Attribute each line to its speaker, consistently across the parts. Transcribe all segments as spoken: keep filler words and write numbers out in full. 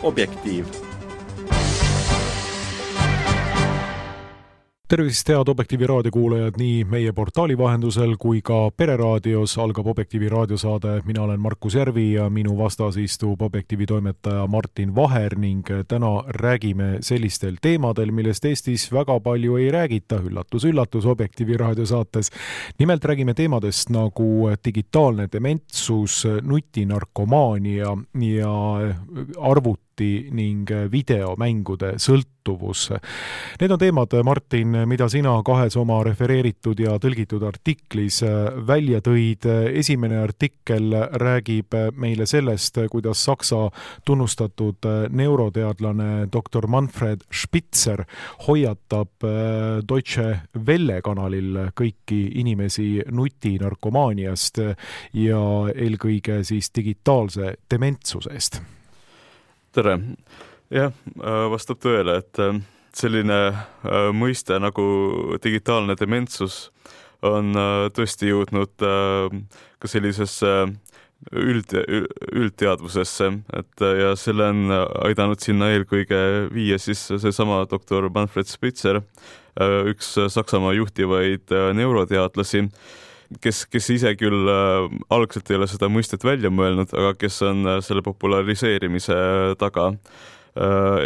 Speaker 1: Objektiiv.
Speaker 2: Tervist, head Objektiivi raadiokuulajad nii meie portaali vahendusel kui ka Pereraadios algab Objektiivi raadiosaade. Mina olen Markus Järvi ja minu vastas istub Objektiivi toimetaja Martin Vaher ning täna räägime sellistel teemadel, millest Eestis väga palju ei räägita. Üllatus, üllatus Objektiivi raadiosaates. Nimelt räägime teemadest nagu digitaalne dementsus, nutinarkomaania ja arvuti ning videomängude sõltuvus. Need on teemad, Martin, mida sina kahes oma refereeritud ja tõlgitud artiklis välja tõid. Esimene artikkel räägib meile sellest, kuidas Saksa tunnustatud neuroteadlane doktor Manfred Spitzer hoiatab Deutsche Welle kanalil kõiki inimesi nutinarkomaaniast ja eelkõige siis digitaalse dementsusest.
Speaker 3: Tere. Jah, vastab tõele, et selline mõiste nagu digitaalne dementsus on tõesti jõudnud ka sellisesse üld, üldteadvusesse, et ja selle on aidanud sinna eelkõige viia siis see sama doktor Manfred Spitzer, üks Saksamaa juhtivaid neuroteadlasi, kes, kes ise küll algselt ei ole seda mõistet välja mõelnud, aga kes on selle populariseerimise taga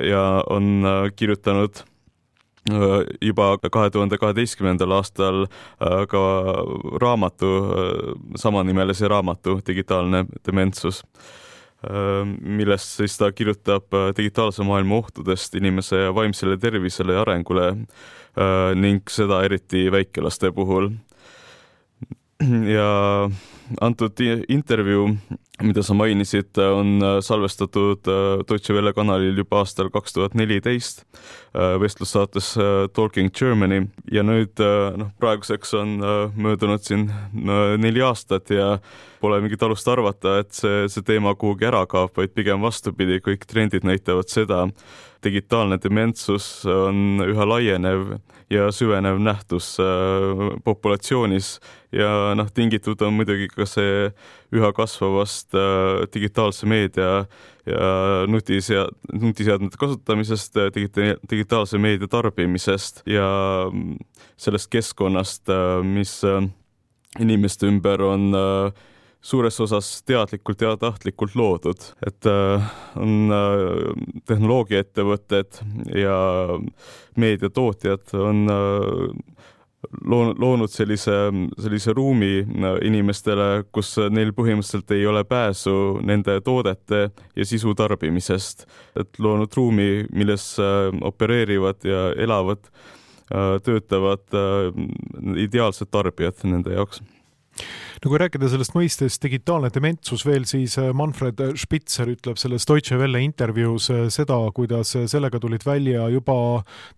Speaker 3: ja on kirjutanud juba kahe tuhande kaheteistkümnendal aastal ka raamatu, samanimelise raamatu Digitaalne dementsus, millest siis ta kirjutab digitaalse maailma ohtudest inimese vaimsele tervisele ja arengule ning seda eriti väikelaste puhul. Ja antud intervjuu, mida sa mainisid, on salvestatud Deutsche Welle kanalil juba aastal kaks tuhat neliteist vestlussaates Talking Germany ja nüüd noh, praeguseks on möödunud siin neli aastat ja pole mingit alust arvata, et see, see teema kuhugi ära kaob, vaid pigem vastupidi, kõik trendid näitavad seda. Digitaalne dementsus on üha laienev ja süvenev nähtus populatsioonis ja noh, tingitud on muidugi ka see üha kasvavast digitaalse meedia ja nutisead, nutiseadmete kasutamisest, digita- digitaalse meedia tarbimisest ja sellest keskkonnast, mis inimeste ümber on suures osas teadlikult ja tahtlikult loodud, et on tehnoloogiaettevõtted ja meediatootjad on loonud sellise, sellise ruumi inimestele, kus neil põhimõtteliselt ei ole pääsu nende toodete ja sisu tarbimisest, et loonud ruumi, milles opereerivad ja elavad, töötavad ideaalsed tarbijad nende jaoks.
Speaker 2: No kui rääkida sellest mõistest digitaalne dementsus veel, siis Manfred Spitzer ütleb selles Deutsche Welle intervjuus seda, kuidas sellega tulid välja juba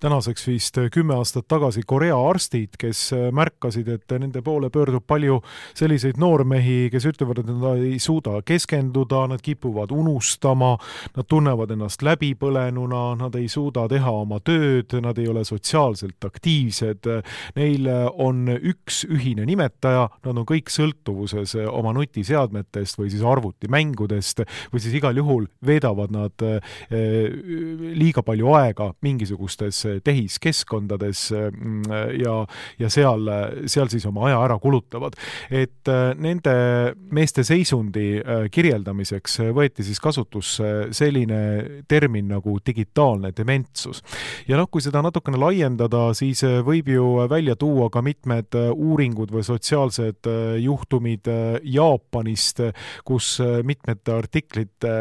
Speaker 2: tänaseks vist kümme aastat tagasi Korea arstid, kes märkasid, et nende poole pöördub palju selliseid noormehi, kes ütlevad, et nad ei suuda keskenduda, nad kipuvad unustama, nad tunnevad ennast läbipõlenuna, nad ei suuda teha oma tööd, nad ei ole sotsiaalselt aktiivsed, neil on üks ühine nimetaja, nad on kõik sõltuvuses oma nutiseadmetest või siis arvutimängudest või siis igal juhul veedavad nad liiga palju aega mingisugustes tehiskeskkondades ja, ja seal, seal siis oma aja ära kulutavad. Et nende meeste seisundi kirjeldamiseks võeti siis kasutusse selline termin nagu digitaalne dementsus. Ja noh, kui seda natukene laiendada, siis võib ju välja tuua ka mitmed uuringud või sotsiaalsed juhtumid Jaapanist, kus mitmete artiklite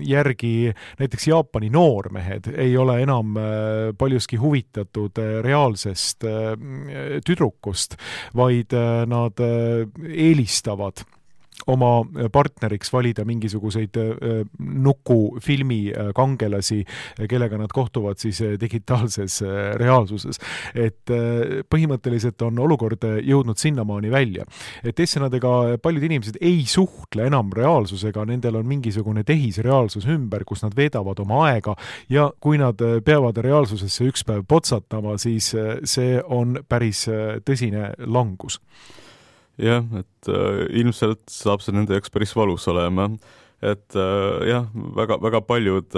Speaker 2: järgi näiteks Jaapani noormehed ei ole enam paljuski huvitatud reaalsest tüdrukust, vaid nad eelistavad oma partneriks valida mingisuguseid nukufilmi kangelasi, kellega nad kohtuvad siis digitaalses reaalsuses. Et põhimõtteliselt on olukord jõudnud sinnamaani välja. Et teistsõnadega paljud inimesed ei suhtle enam reaalsusega, nendel on mingisugune tehisreaalsus ümber, kus nad veedavad oma aega ja kui nad peavad reaalsusesse üks päev potsatama, siis see on päris tõsine langus.
Speaker 3: Jah, et äh, ilmselt saab see nende jaoks päris valus olema, et jah, väga, väga paljud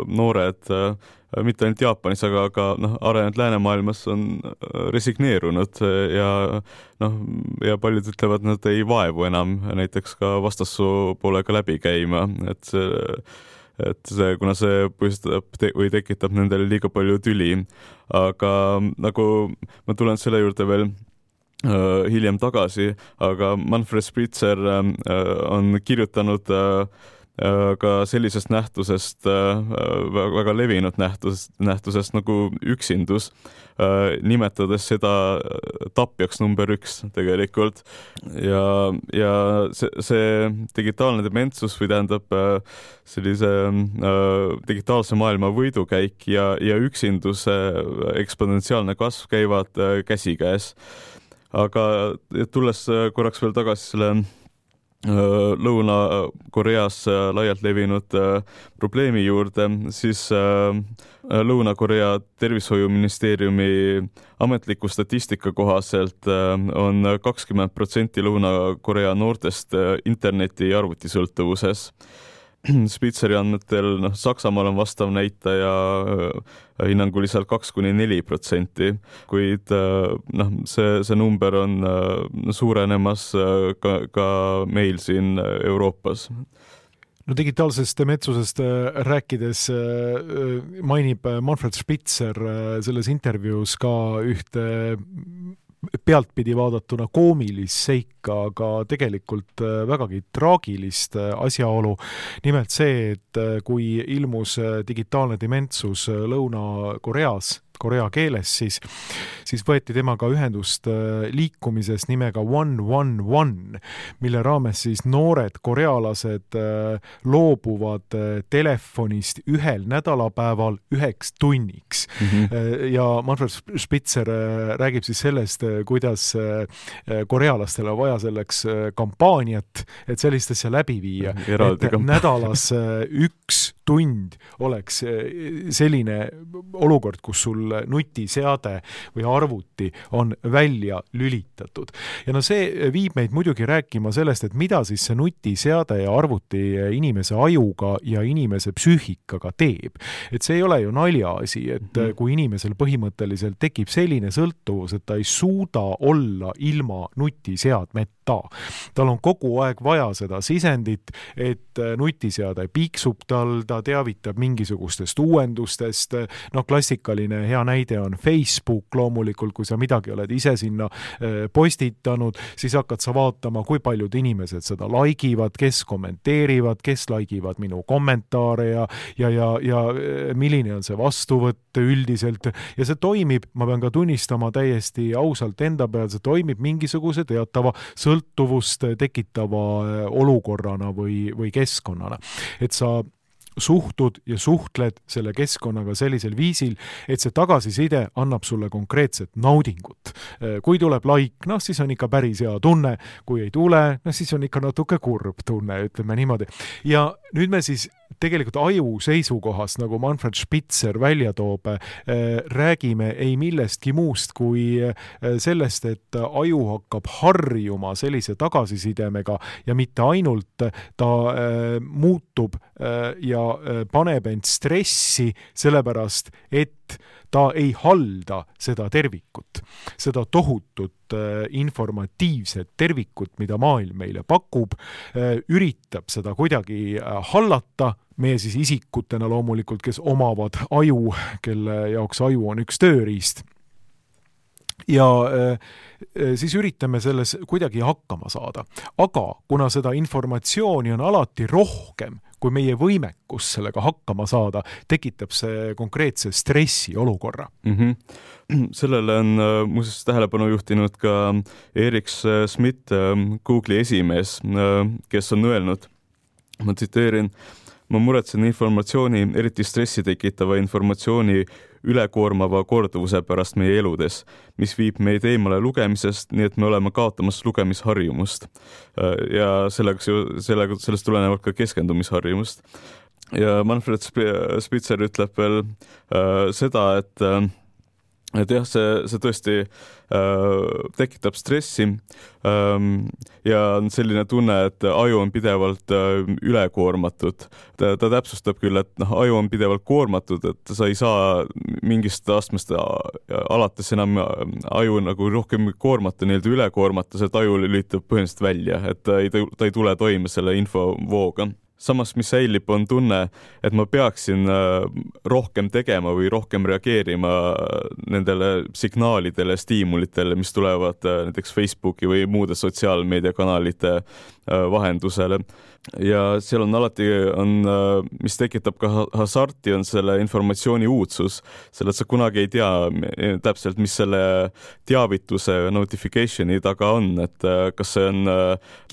Speaker 3: noored, mitte ainult Jaapanis, aga ka noh, arenenud läänemaailmas on resigneerunud ja noh, ja paljud ütlevad, nad ei vaevu enam näiteks ka vastassoo poolega läbi käima, et see, et see, kuna see põhjustab te- või tekitab nendele liiga palju tüli, aga nagu ma tulen selle juurde veel uh, hiljem tagasi, aga Manfred Spitzer uh, on kirjutanud uh, ka sellisest nähtusest, väga levinud nähtus, nähtusest nagu üksindus, nimetades seda tapjaks number üks tegelikult. Ja, ja see, see digitaalne dementsus või tähendab sellise digitaalse maailma võidukäik ja, ja üksinduse eksponentsiaalne kasv käivad käsikäes. Aga tulles korraks veel tagasi selle Lõuna-Koreas laialt levinud probleemi juurde, siis Lõuna-Korea tervishoiuministeeriumi ametliku statistika kohaselt on kakskümmend protsenti Lõuna-Korea noortest interneti ja arvutisõltuvuses. Spitzeri andmetel noh, Saksamaal on vastav näitaja hinnanguliselt kaks kuni neli protsenti, kuid noh, see, see number on suurenemas ka, ka meil siin Euroopas.
Speaker 2: No digitaalsest dementsusest rääkides mainib Manfred Spitzer selles intervjuus ka ühte pealtpidi vaadatuna koomilist seika, aga tegelikult vägagi traagilist asjaolu. Nimelt see, et kui ilmus digitaalne dementsus Lõuna-Koreas, korea keeles, siis, siis võeti temaga ühendust liikumises nimega one one one, mille raames siis noored korealased loobuvad telefonist ühel nädalapäeval üheks tunniks. Mm-hmm. Ja Manfred Spitzer räägib siis sellest, kuidas korealastel on vaja selleks kampaaniat, et sellist asja läbi viia. Et nädalas üks tund oleks selline olukord, kus sul nutiseade või arvuti on välja lülitatud. Ja no see viib meid muidugi rääkima sellest, et mida siis see nutiseade ja arvuti inimese ajuga ja inimese psüühikaga teeb. Et see ei ole ju naljaasi, et kui inimesel põhimõtteliselt tekib selline sõltuvus, et ta ei suuda olla ilma nutiseadmeta. Tal on kogu aeg vaja seda sisendit, et nutiseade piiksub tal, ta teavitab mingisugustest uuendustest. No klassikaline hea näide on Facebook loomulikult, kui sa midagi oled ise sinna postitanud, siis hakkad sa vaatama, kui paljud inimesed seda laigivad, kes kommenteerivad, kes laigivad minu kommentaare ja, ja, ja, ja milline on see vastuvõtt üldiselt. Ja see toimib, ma pean ka tunnistama täiesti ausalt enda peal, see toimib mingisuguse teatava sõltuvust tekitava olukorrana või, või keskkonnana. Et sa suhtud ja suhtled selle keskkonnaga sellisel viisil, et see tagasiside annab sulle konkreetset naudingut. Kui tuleb like, noh siis on ikka päris hea tunne, kui ei tule, noh siis on ikka natuke kurb tunne, ütleme niimoodi. Ja nüüd me siis tegelikult aju seisukohast, nagu Manfred Spitzer välja toob, räägime ei millestki muust kui sellest, et aju hakkab harjuma sellise tagasisidemega ja mitte ainult ta muutub ja paneb end stressi sellepärast, et ta ei halda seda tervikut, seda tohutut informatiivset tervikut, mida maailm meile pakub, üritab seda kuidagi hallata, meie siis isikutena loomulikult, kes omavad aju, kelle jaoks aju on üks tööriist. Ja siis üritame selles kuidagi hakkama saada. Aga kuna seda informatsiooni on alati rohkem, kui meie võimekus sellega hakkama saada, tekitab see konkreetse stressi olukorra.
Speaker 3: Mm-hmm. Sellele on muuseas tähelepanu juhtinud ka Eric Schmidt, Google'i esimees, kes on öelnud, ma tsiteerin, ma muretsen informatsiooni, eriti stressi tekitava informatsiooni ülekoormava korduvuse pärast meie eludes, mis viib meid eemale lugemisest, nii et me oleme kaotamas lugemisharjumust. Ja sellega, sellega, sellest tulenevalt ka keskendumisharjumust. Ja Manfred Spitzer ütleb veel äh, seda, et äh, et jah, see, see tõesti äh, tekitab stressi ähm, ja on selline tunne, et aju on pidevalt äh, ülekoormatud. Ta, ta täpsustab küll, et noh, aju on pidevalt koormatud, et sa ei saa mingist astmest alates enam aju nagu rohkem koormata, nii-öelda ülekoormata, see aju lülitab põhimõtteliselt välja, et ta ei, ta ei tule toime selle infovooga. Samas, mis säilib, on tunne, et ma peaksin rohkem tegema või rohkem reageerima nendele signaalidele, stiimulitele, mis tulevad näiteks Facebooki või muude sotsiaalmeediakanalite vahendusele. Ja seal on alati, on, mis tekitab ka hasarti, on selle informatsiooni uudsus, selle, et sa kunagi ei tea täpselt, mis selle teavituse notificationi taga on, et kas see on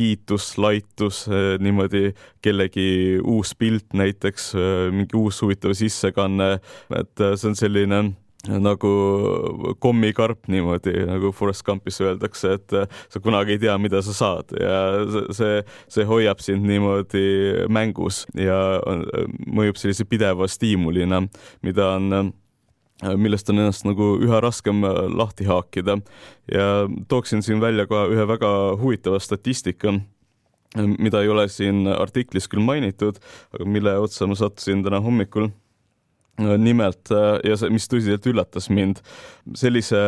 Speaker 3: kiitus, laitus, niimoodi kellegi uus pilt näiteks, mingi uus huvitav sissekanne, et see on selline nagu kommikarp niimoodi, nagu Forrest Gumpis öeldakse, et sa kunagi ei tea, mida sa saad ja see, see hoiab sind niimoodi mängus ja mõjub sellise pideva stiimulina, mida on, millest on ennast nagu üha raskem lahti haakida ja tooksin siin välja ka ühe väga huvitava statistika, mida ei ole siin artiklis küll mainitud, aga mille otsa ma sattusin täna hommikul. Nimelt, ja see, mis tõsiselt üllatas mind, sellise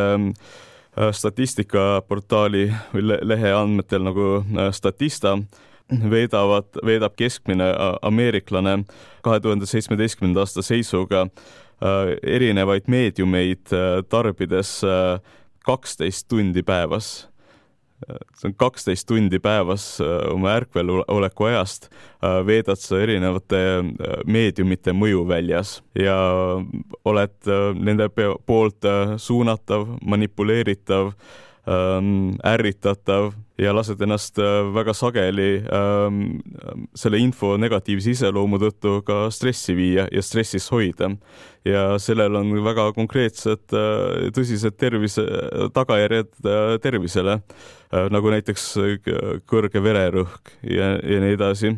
Speaker 3: statistikaportaali või lehe andmetel nagu Statista veedavad, veedab keskmine ameeriklane kahe tuhande seitsmeteistkümnenda aasta seisuga erinevaid meediumeid tarbides kaksteist tundi päevas. See on kaksteist tundi päevas oma ärkveloleku ajast veedad sa erinevate meediumite mõjuväljas ja oled nende poolt suunatav, manipuleeritav, ärritatav ja lased ennast väga sageli selle info negatiivse iseloomu tõttu ka stressi viia ja stressis hoida. Ja sellel on väga konkreetsed tõsised tervise, tagajärjed tervisele, nagu näiteks kõrge vererõhk ja, ja nii edasi.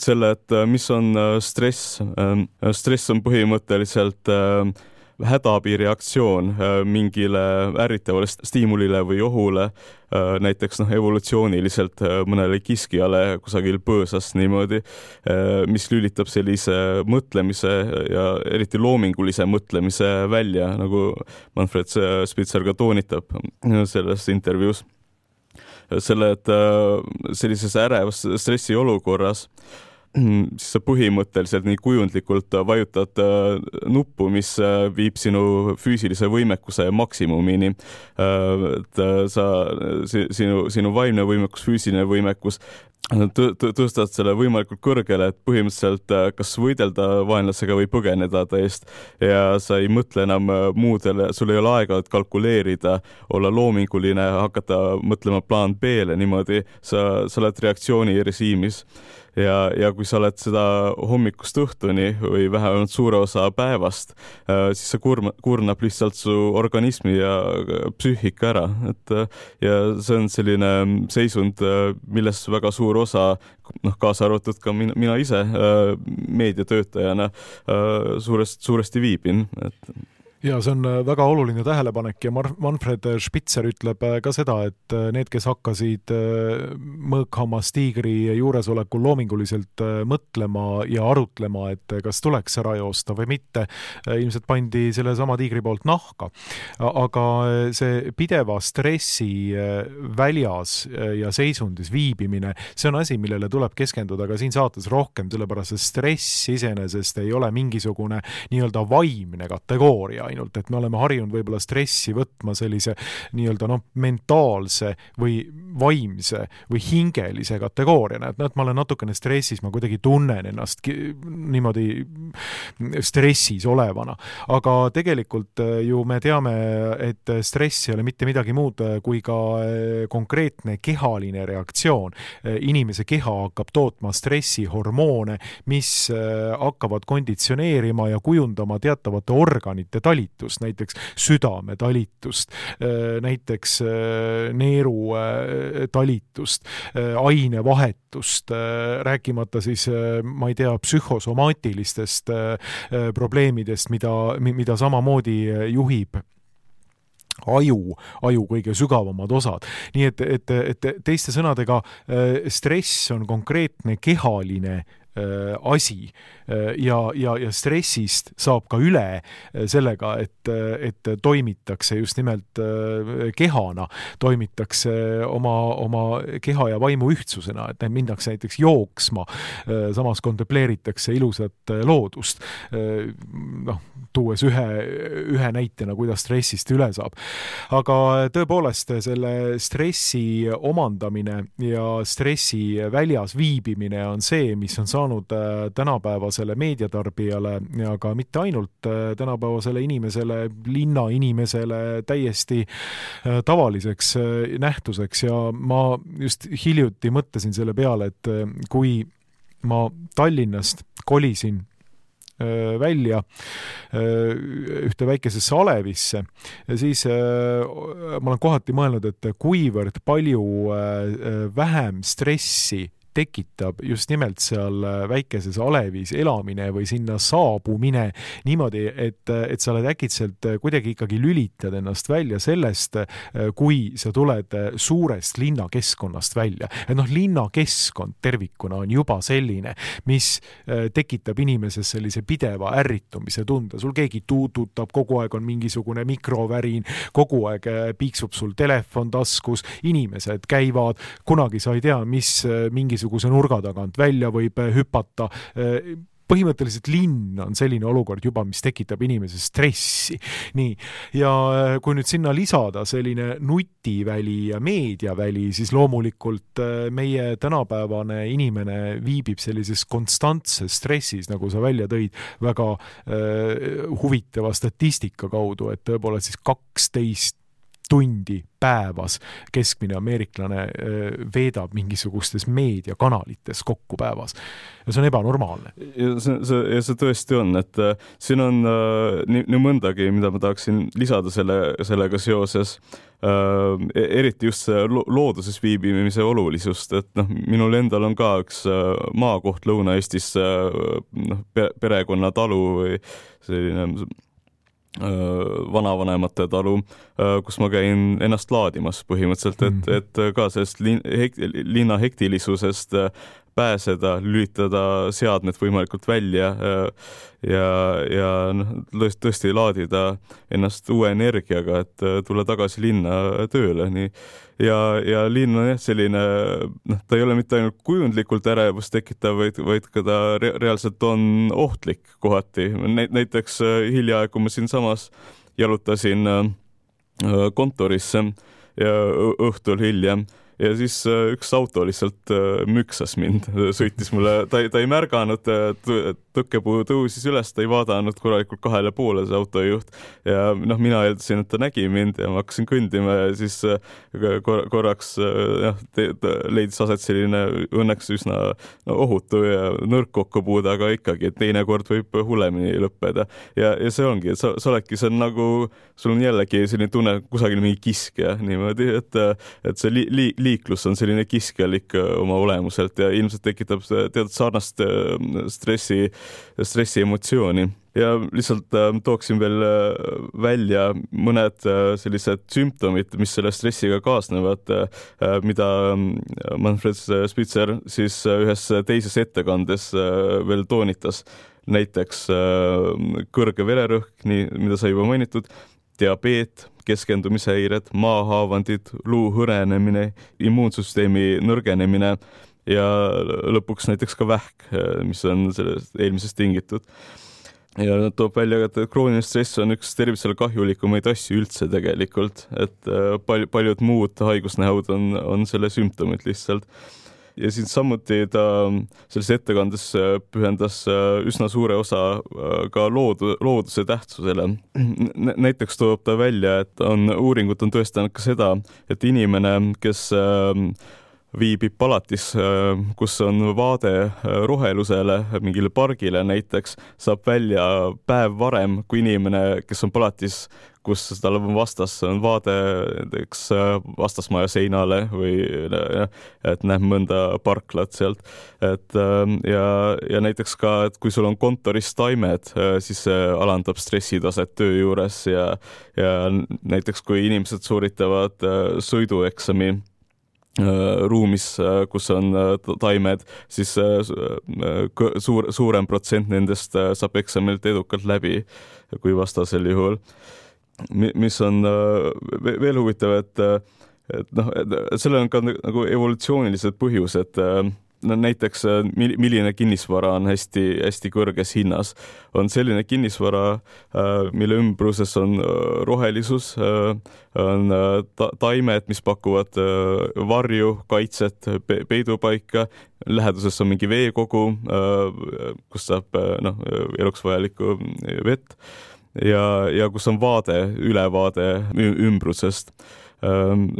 Speaker 3: Selle, et mis on stress? Stress on põhimõtteliselt hädaabireaktsioon mingile ärritavale stiimulile või ohule, näiteks noh, evolutsiooniliselt mõnele kiskjale kusagil põõsas niimoodi, mis lülitab sellise mõtlemise ja eriti loomingulise mõtlemise välja, nagu Manfred Spitzer ka toonitab selles intervjuus. Selle, et sellises ärevas stressiolukorras siis sa põhimõtteliselt nii kujundlikult vajutad nuppu, mis viib sinu füüsilise võimekuse maksimumini. Et sa, sinu, sinu vaimne võimekus, füüsiline võimekus tõstad selle võimalikult kõrgele, et põhimõtteliselt kas võidelda vaenlasega või põgeneda ta eest ja sa ei mõtle enam muudele, sul ei ole aega kalkuleerida, olla loominguline, hakata mõtlema plaan B-le niimoodi, sa, sa oled reaktsiooni režiimis. Ja, ja kui sa oled seda hommikust õhtuni või vähemalt suure osa päevast, siis see kurma, kurnab lihtsalt su organismi ja psüühika ära. Et, ja see on selline seisund, milles väga suur osa, noh, kaasa arvatud ka mina, mina ise meediatöötajana suurest, suuresti viibin. Et
Speaker 2: ja see on väga oluline tähelepanek ja Manfred Spitzer ütleb ka seda, et need, kes hakkasid mõõkhammas tiigri juuresolekul loominguliselt mõtlema ja arutlema, et kas tuleks ära joosta või mitte, ilmselt pandi selle sama tiigri poolt nahka. Aga see pideva stressi väljas ja seisundis viibimine, see on asi, millele tuleb keskenduda ka siin saates rohkem, sellepärast et stress iseenesest ei ole mingisugune nii-öelda vaimne kategooria ainult, et me oleme harjunud võib-olla stressi võtma sellise nii-öelda noh, mentaalse või vaimse või hingelise kategooriana, et, no, et ma olen natukene stressis, ma kuidagi tunnen ennast niimoodi stressis olevana. Aga tegelikult ju me teame, et stress ei ole mitte midagi muud kui ka konkreetne kehaline reaktsioon. Inimese keha hakkab tootma stressihormoone, mis hakkavad konditsioneerima ja kujundama teatavate organite talitust, näiteks südame talitust, näiteks neeru talitust, ainevahetust, rääkimata siis, ma ei tea, psühhosomaatilistest probleemidest, mida, mida samamoodi juhib aju, aju kõige sügavamad osad. Nii et, et, et teiste sõnadega stress on konkreetne kehaline asi ja, ja, ja stressist saab ka üle sellega, et, et toimitakse just nimelt kehana, toimitakse oma, oma keha ja vaimu ühtsusena, et mindakse näiteks jooksma, samas kontempleeritakse ilusat loodust, noh, tuues ühe, ühe näitena, kuidas stressist üle saab. Aga tõepoolest selle stressi omandamine ja stressi väljas viibimine on see, mis on saanud tänapäevasele meediatarbijale ja ka mitte ainult tänapäevasele inimesele, linna inimesele täiesti tavaliseks nähtuseks ja ma just hiljuti mõtlesin selle peale, et kui ma Tallinnast kolisin välja ühte väikesesse Alevisse, siis ma olen kohati mõelnud, et kuivõrd palju vähem stressi tekitab just nimelt seal väikeses Alevis elamine või sinna saabumine niimoodi, et, et sa oled äkitselt kuidagi ikkagi lülitad ennast välja sellest, kui sa tuled suurest linnakeskkonnast välja. Et noh, linnakeskkond tervikuna on juba selline, mis tekitab inimeses sellise pideva ärritumise tunde. Sul keegi tuututab, kogu aeg on mingisugune mikrovärin, kogu aeg piiksub sul telefon taskus, inimesed käivad, kunagi sa ei tea, mis mingisugune kuse nurga tagant välja võib hüpata. Põhimõtteliselt linn on selline olukord juba, mis tekitab inimese stressi. Nii. Ja kui nüüd sinna lisada selline nutiväli ja meediaväli, siis loomulikult meie tänapäevane inimene viibib sellises konstantses stressis, nagu sa välja tõid, väga äh, huvitava statistika kaudu, et tõepoolest siis kaksteist tundi päevas keskmine ameeriklane veedab mingisugustes meediakanalites kokku päevas. Ja see on ebanormaalne.
Speaker 3: Ja see, see, ja see tõesti on, et äh, siin on äh, nii, nii mõndagi, mida ma tahaksin lisada selle, sellega seoses, äh, eriti just see lo- looduses viibimise olulisust, et noh, minul endal on ka üks äh, maakoht Lõuna-Eestis äh, noh, perekonna talu või selline vanavanemate talu, kus ma käin ennast laadimas põhimõtteliselt, et, et ka sellest lin, hekt, linna hektilisusest pääseda, lülitada seadmed võimalikult välja ja, ja noh, tõesti laadida ennast uue energiaga, et tulla tagasi linna tööle. Nii. Ja, ja linn on jah selline, noh, ta ei ole mitte ainult kujundlikult ärevust tekitav, vaid, vaid ka ta re- reaalselt on ohtlik kohati. Näiteks hiljaaegu, kui ma siin samas jalutasin kontorisse ja õhtul hiljem, ja siis üks auto lihtsalt müksas mind, sõitis mulle, ta, ta ei märganud, tõkkepuu tõusis üles, ta ei vaadanud korralikult kahele poole see autojuht ja noh, mina eeldasin, et ta nägi mind ja ma hakkasin kõndima ja siis kor- korraks jah, te, te, leidis aset selline õnneks üsna no, ohutu ja nõrk kokkupuude, aga ikkagi, et teine kord võib hullemini lõppeda ja, ja see ongi, et sa, sa oledki, see on nagu, sul on jällegi selline tunne kusagil mingi kiskja niimoodi, et, et see li, li, liiklus on selline kiskjalik oma olemuselt ja ilmselt tekitab teatud sarnast stressi, stressi emotsiooni. Ja lihtsalt äh, tooksin veel äh, välja mõned äh, sellised sümptomid, mis selle stressiga kaasnevad, äh, mida Manfred Spitzer siis äh, ühes teises ettekandes äh, veel toonitas. Näiteks äh, kõrge vererõhk, nii, mida sai juba mainitud, diabeet, keskendumishäired, maahaavandid, luu hõrenemine, immuunsüsteemi nõrgenemine ja lõpuks näiteks ka vähk, mis on sellest eelmisest tingitud. Ja toob välja, et krooniline stress on üks tervisele kahjulikumaid asju üldse tegelikult, et pal- paljud muud haigusnähud on, on selle sümptomid lihtsalt. Ja siin samuti ta selles ettekandes pühendas üsna suure osa ka loodu, looduse tähtsusele. Näiteks toob ta välja, et on, uuringud on tõestanud ka seda, et inimene, kes viibib palatis, kus on vaade rohelusele, mingile pargile näiteks, saab välja päev varem kui inimene, kes on palatis, kus tal on vastas, on vaade näiteks vastasmaja seinale või et näeb mõnda parklat sealt. Et, ja, ja näiteks ka, et kui sul on kontoris taimed, siis see alandab stressitaset töö juures ja, ja näiteks kui inimesed sooritavad sõidueksami ruumis, kus on taimed, siis suur, suurem protsent nendest saab eksamilt edukalt läbi kui vastasel juhul. Mis on veel huvitav, et, et, noh, et sellel on ka nagu evolutsioonilised põhjused. No, näiteks milline kinnisvara on hästi, hästi kõrges hinnas. On selline kinnisvara, mille ümbruses on rohelisus, on taimed, mis pakuvad varju, kaitset, peidupaika, läheduses on mingi veekogu, kus saab noh, eluks vajalikku vett. Ja, ja kus on vaade, ülevaade ümbrusest.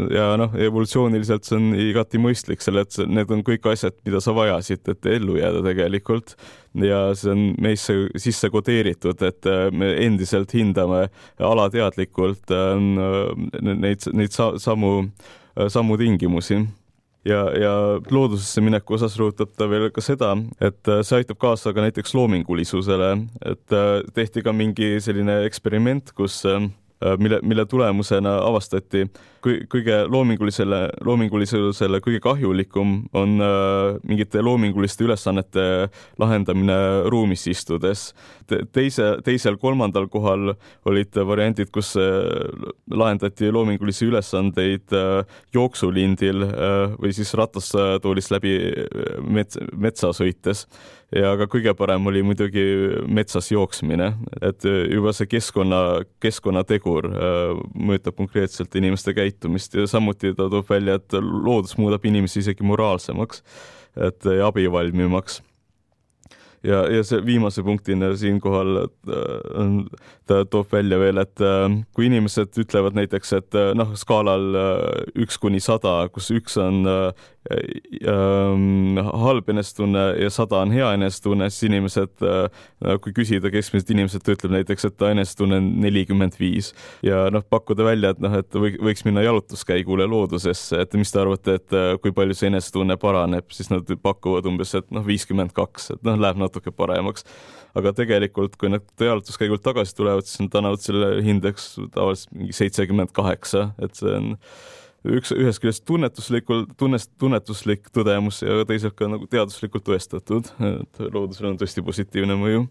Speaker 3: Ja noh, evolutsiooniliselt see on igati mõistlik, selle, et need on kõik asjad, mida sa vajasid, et ellu jääda tegelikult. Ja see on meisse sisse kodeeritud, et me endiselt hindame alateadlikult neid, neid samu, samu tingimusi. Ja, ja loodusesse mineku osas rõhutab ta veel ka seda, et see aitab kaasa ka näiteks loomingulisusele, et tehti ka mingi selline eksperiment, kus mille, mille tulemusena avastati kõige loomingulisele, loomingulisusele kõige kahjulikum on mingite loominguliste ülesannete lahendamine ruumis istudes. Teise, teisel, kolmandal kohal olid variandid, kus lahendati loomingulisi ülesandeid jooksulindil või siis ratastoolis läbi mets, metsa sõites. Ja ka kõige parem oli muidugi metsas jooksmine, et juba see keskkonna, keskkonnategur mõjutab konkreetselt inimeste käitumist ja samuti ta toob välja, et loodus muudab inimesi isegi moraalsemaks, et abivalmimaks. Ja, ja see viimase punktina siinkohal ta toob välja veel, et kui inimesed ütlevad näiteks, et noh, skaalal üks kuni sada, kus üks on ähm, halb enestunne ja sada on hea enestunne, siis inimesed, kui küsida keskmiselt inimesed, ütleb näiteks, et ta enestunne on nelikümmend viis ja noh, pakkuda välja, et noh, et võiks minna jalutuskäigule loodusesse, et mis te arvate, et kui palju see enestunne paraneb, siis nad pakuvad umbes, et noh, viiskümmend kaks, et noh, läheb natuke paremaks. Aga tegelikult, kui nad jalutuskäigult tagasi tulevad, siis nad annavad selle hindeks tavaliselt mingi seitsekümmend kaheksa, et see on üks, ühest küljest tunnetuslikult, tunnest, tunnetuslik tõdemus ja teisalt ka nagu teaduslikult tõestatud, et loodusel on tõesti positiivne mõju.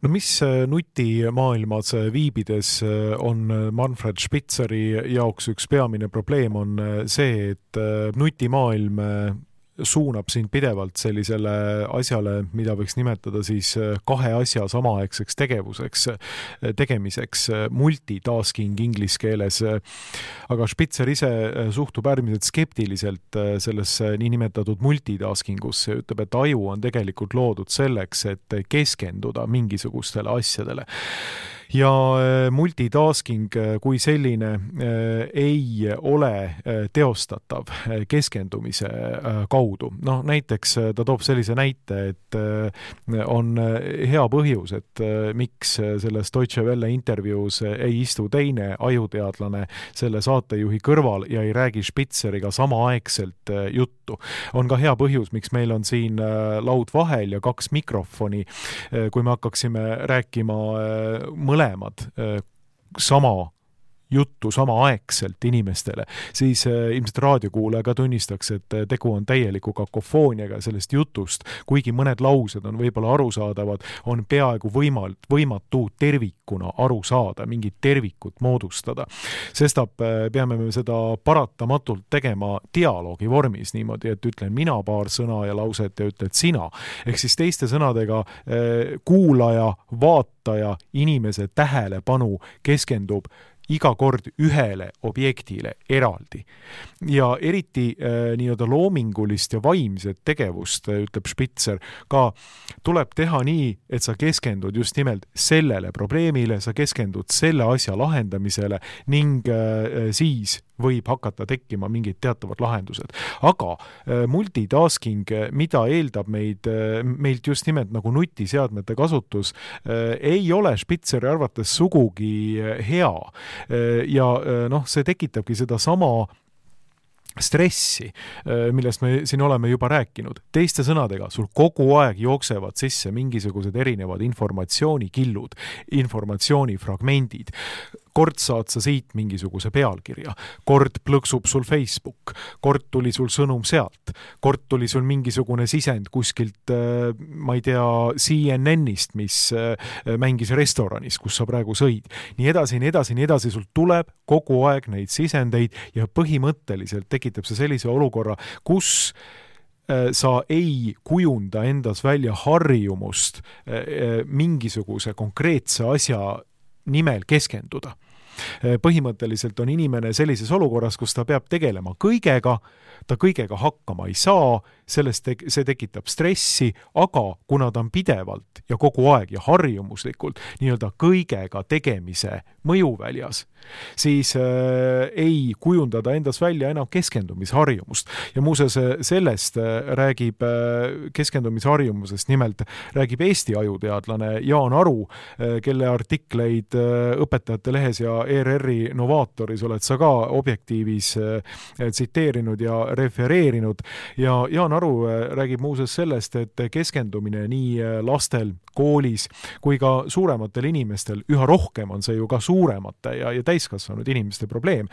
Speaker 2: No mis nutimaailmas viibides on Manfred Spitzeri jaoks üks peamine probleem on see, et nutimaailm suunab sind pidevalt sellisele asjale, mida võiks nimetada siis kahe asja samaaegseks tegevuseks, tegemiseks, multitasking inglise keeles. Aga Spitzer ise suhtub äärmiselt skeptiliselt sellesse niinimetatud multitaskingusse, ütleb, et aju on tegelikult loodud selleks, et keskenduda mingisugustele asjadele. Ja multitasking kui selline ei ole teostatav keskendumise kaudu. No näiteks ta toob sellise näite, et on hea põhjus, et miks selles Deutsche Welle intervjuus ei istu teine ajuteadlane selle saatejuhi kõrval ja ei räägi Spitzeriga samaaegselt juttu. On ka hea põhjus, miks meil on siin laud vahel ja kaks mikrofoni, kui me hakkaksime rääkima mõlemad sama juttu samaaegselt inimestele, siis ilmselt raadiokuulaja ka tunnistaks, et tegu on täieliku kakofooniaga sellest jutust, kuigi mõned laused on võib-olla arusaadavad, on peaaegu võimal, võimatu tervikuna aru saada, mingit tervikut moodustada. Sestap peame me seda paratamatult tegema dialoogi vormis niimoodi, et ütlen mina paar sõna ja lauset ja ütled sina. Ehk siis teiste sõnadega kuulaja, vaataja, inimese tähelepanu keskendub iga kord ühele objektile eraldi. Ja eriti äh, nii-öelda loomingulist ja vaimset tegevust, ütleb Spitzer, ka tuleb teha nii, et sa keskendud just nimelt sellele probleemile, sa keskendud selle asja lahendamisele ning äh, siis võib hakata tekkima mingid teatavad lahendused. Aga multitasking, mida eeldab meid, meilt just nimelt nagu nutiseadmete kasutus, ei ole Spitzeri arvates sugugi hea. Ja noh, see tekitabki seda sama stressi, millest me siin oleme juba rääkinud. Teiste sõnadega, sul kogu aeg jooksevad sisse mingisugused erinevad informatsioonikillud, informatsioonifragmendid. Kord saad sa siit mingisuguse pealkirja, kord plõksub sul Facebook, kord tuli sul sõnum sealt, kord tuli sul mingisugune sisend kuskilt, ma ei tea, C N N-ist, mis mängis restoranis, kus sa praegu sõid. Nii edasi, nii edasi, nii edasi, sul tuleb kogu aeg neid sisendeid ja põhimõtteliselt tekitab see sellise olukorra, kus sa ei kujunda endas välja harjumust mingisuguse konkreetse asja nimel keskenduda. Põhimõtteliselt on inimene sellises olukorras, kus ta peab tegelema kõigega, ta kõigega hakkama ei saa, sellest te- see tekitab stressi, aga kuna ta on pidevalt ja kogu aeg ja harjumuslikult nii-öelda kõigega tegemise mõjuväljas, siis äh, ei kujunda ta endas välja enam keskendumisharjumust. Ja muuseas sellest räägib äh, keskendumisharjumusest, nimelt räägib Eesti ajuteadlane Jaan Aru, äh, kelle artikleid äh, Õpetajate lehes ja E R R-i Novaatoris oled sa ka Objektiivis äh, tsiteerinud ja refereerinud. Ja Jaan Aru äh, räägib muuseas sellest, et keskendumine nii äh, lastel koolis kui ka suurematel inimestel, üha rohkem on see ju ka suuremate ja, ja täiskasvanud inimeste probleem,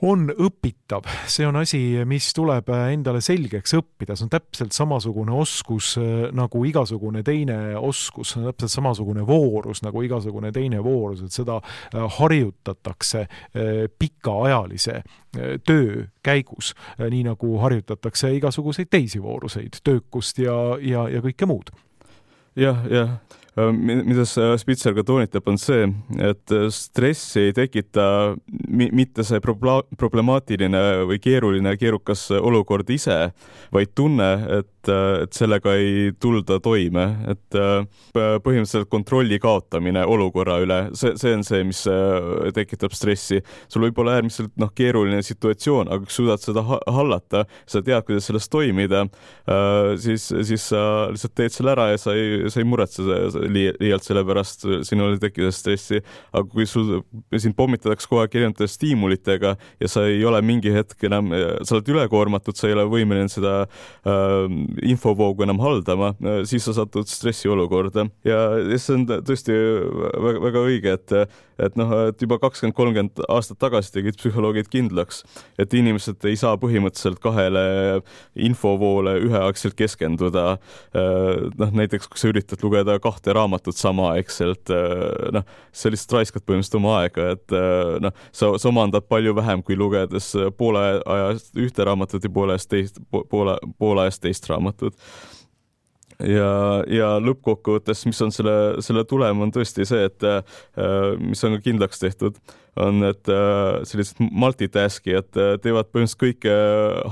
Speaker 2: on õpitav. See on asi, mis tuleb endale selgeks õppida. See on täpselt samasugune oskus nagu igasugune teine oskus. See on täpselt samasugune voorus nagu igasugune teine voorus, et seda harjutatakse pikaajalise töö käigus, nii nagu harjutatakse igasuguseid teisi vooruseid, töökust ja, ja, ja kõike muud.
Speaker 3: Jah, jah. Mida Spitzer ka toonitab, on see, et stressi ei tekita mitte see problemaatiline või keeruline keerukas olukord ise, vaid tunne, et, et sellega ei tulda toime, et põhimõtteliselt kontrolli kaotamine olukorra üle, see, see on see, mis tekitab stressi. Sul võib olla äärmiselt noh, keeruline situatsioon, aga kui suudad seda hallata, sa tead, kuidas sellest toimida, siis, siis sa lihtsalt teed selle ära ja sa ei, sa ei muretse liialt selle pärast, sinul ei tekida stressi, aga kui sul siin pommitatakse kogu aeg erinevate stiimulitega ja sa ei ole mingi hetk enam, sa oled ülekoormatud, sa ei ole võimeline seda äh, infovoogu enam haldama, siis sa satud stressi olukorda ja see on tõesti väga, väga õige, et, et noh, et juba kakskümmend kolmkümmend aastat tagasi tegid psühholoogid kindlaks, et inimesed ei saa põhimõtteliselt kahele infovoole üheaegselt keskenduda. Noh, näiteks kui sa üritad lugeda kahte raamatut samaaegselt, noh, sa lihtsalt raiskad põhimõtteliselt oma aega, et noh, sa, sa omandad palju vähem kui lugedes poole ajast ühte raamatut ja poole ajast teist, poole, poole ajast teist raamatut. Ja, ja lõppkokkuvõttes, mis on selle, selle tulem, on tõesti see, et mis on ka kindlaks tehtud, on, et sellised multitaskijad teevad põhimõtteliselt kõike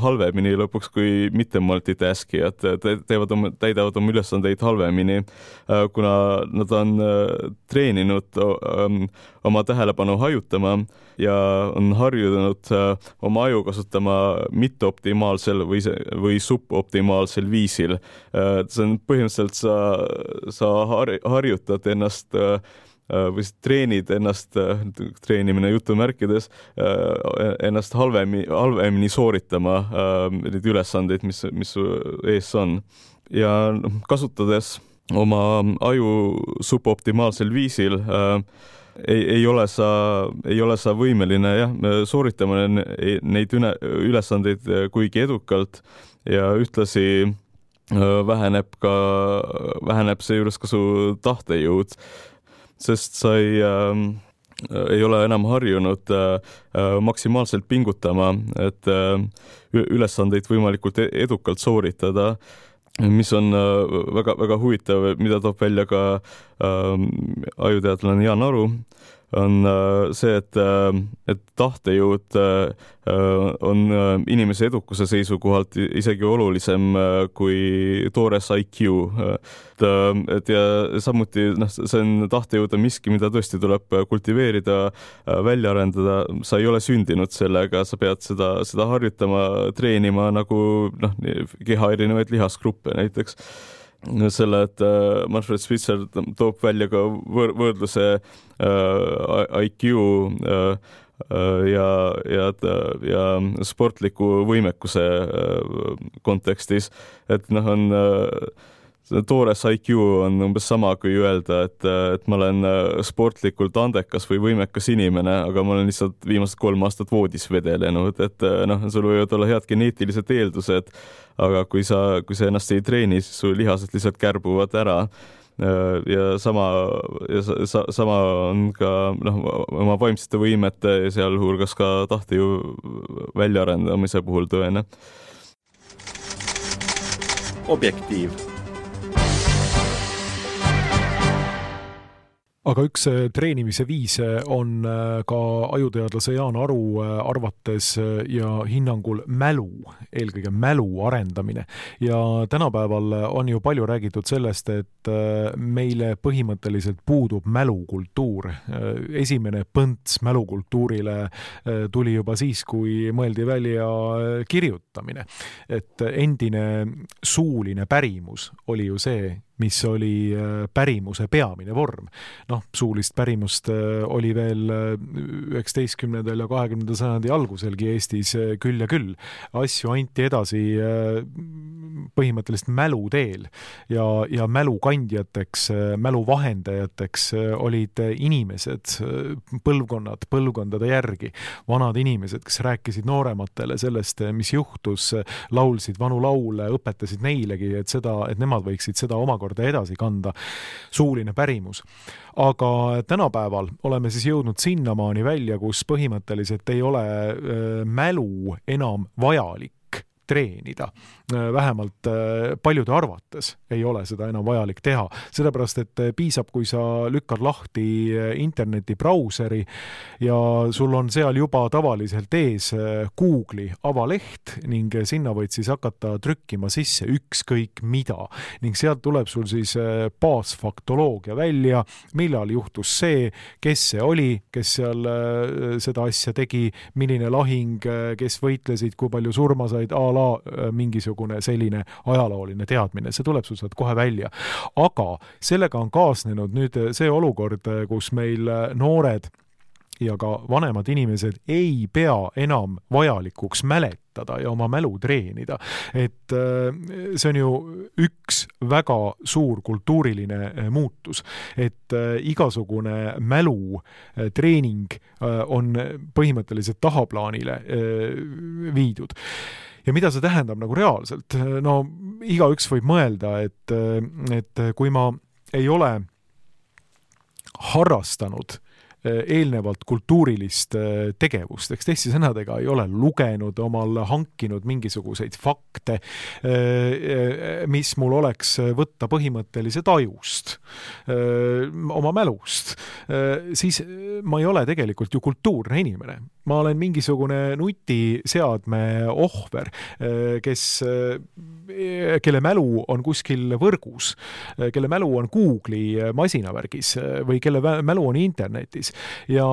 Speaker 3: halvemini lõpuks kui mitte multitaskijad, teevad oma, täidavad oma ülesandeid halvemini, kuna nad on treeninud oma tähelepanu hajutama ja on harjunud oma aju kasutama mitteoptimaalsel või, või suboptimaalsel viisil. See on põhimõtteliselt sa, sa harjutad ennast või treenid ennast, treenimine jutumärkides, ennast halvemini, halvemini sooritama neid ülesandeid, mis, mis ees on. Ja kasutades oma aju suboptimaalsel viisil, ei, ei, ole sa, ei ole sa võimeline jah, sooritama neid üle, ülesandeid kuigi edukalt ja ühtlasi väheneb ka, väheneb seejuures ka su tahtejõud, sest sa ei, äh, ei ole enam harjunud äh, maksimaalselt pingutama, et äh, ülesandeid võimalikult edukalt sooritada, mis on äh, väga, väga huvitav, mida toob välja ka äh, ajuteadlane Jaan Aru. on see, et, et tahtejõud on inimese edukuse seisukohalt isegi olulisem kui toores I Q. Et, et ja samuti noh, see on tahtejõud on miski, mida tõesti tuleb kultiveerida, välja arendada. Sa ei ole sündinud sellega, sa pead seda, seda harjutama, treenima nagu noh, keha erinevaid lihasgruppe näiteks. Selle, et Manfred Spitzer toob välja ka võr- võrdluse I Q ja, ja, ja sportliku võimekuse kontekstis, et noh, on toores I Q on umbes sama kui öelda, et, et ma olen sportlikult andekas või võimekas inimene, aga ma olen lihtsalt viimased kolm aastat voodis vedelenud, et noh, sul võivad olla head geneetilised eeldused, aga kui sa, kui sa ennast ei treeni, siis su lihased lihtsalt kärbuvad ära. Ja sama, ja sa, sama on ka noh, oma vaimsete võimete ja sealhulgas ka tahtejõu väljaarendamise puhul tõene.
Speaker 1: Objektiiv.
Speaker 2: Aga üks treenimise viis on ka ajuteadlase Jaan Aru arvates ja hinnangul mälu, eelkõige mälu arendamine. Ja tänapäeval on ju palju räägitud sellest, et meile põhimõtteliselt puudub mälukultuur. Esimene põnts mälukultuurile tuli juba siis, kui mõeldi välja kirjutamine. Et endine suuline pärimus oli ju see, mis oli pärimuse peamine vorm. Noh, suulist pärimust oli veel üheksateistkümnendal ja kahekümnendal sajandi alguselgi Eestis küll ja küll. Asju anti edasi põhimõtteliselt mälu teel ja, ja mälu kandjateks, mälu vahendajateks olid inimesed, põlvkonnad, põlvkondade järgi, vanad inimesed, kes rääkisid noorematele sellest, mis juhtus, laulsid vanu laule, õpetasid neilegi, et seda, et nemad võiksid seda omakorda edasi kanda, suuline pärimus. Aga tänapäeval oleme siis jõudnud sinnamaani välja, kus põhimõtteliselt ei ole mälu enam vajalik treenida. Vähemalt paljude arvates ei ole seda enam vajalik teha. Sellepärast, et piisab, kui sa lükkad lahti interneti brauseri ja sul on seal juba tavaliselt ees Google'i avaleht ning sinna võid siis hakata trükkima sisse ükskõik mida. Ning sealt tuleb sul siis baasfaktoloogia välja, millal juhtus see, kes see oli, kes seal seda asja tegi, milline lahing, kes võitlesid, kui palju surma said, a la mingisugune selline ajalooline teadmine. See tuleb sul sealt kohe välja. Aga sellega on kaasnenud nüüd see olukord, kus meil noored ja ka vanemad inimesed ei pea enam vajalikuks mäletada ja oma mälu treenida. Et see on ju üks väga suur kultuuriline muutus, et igasugune mälu treening on põhimõtteliselt tahaplaanile viidud. Ja mida see tähendab nagu reaalselt? No igaüks võib mõelda, et, et kui ma ei ole harrastanud eelnevalt kultuurilist tegevust, eks teiste sõnadega ei ole lugenud, omal hankinud mingisuguseid fakte, mis mul oleks võtta põhimõtteliselt ajust, oma mälust, siis ma ei ole tegelikult ju kultuurne inimene. Ma olen mingisugune nutiseadme ohver, kes, kelle mälu on kuskil võrgus, kelle mälu on Google'i masinavärgis või kelle mälu on internetis. Ja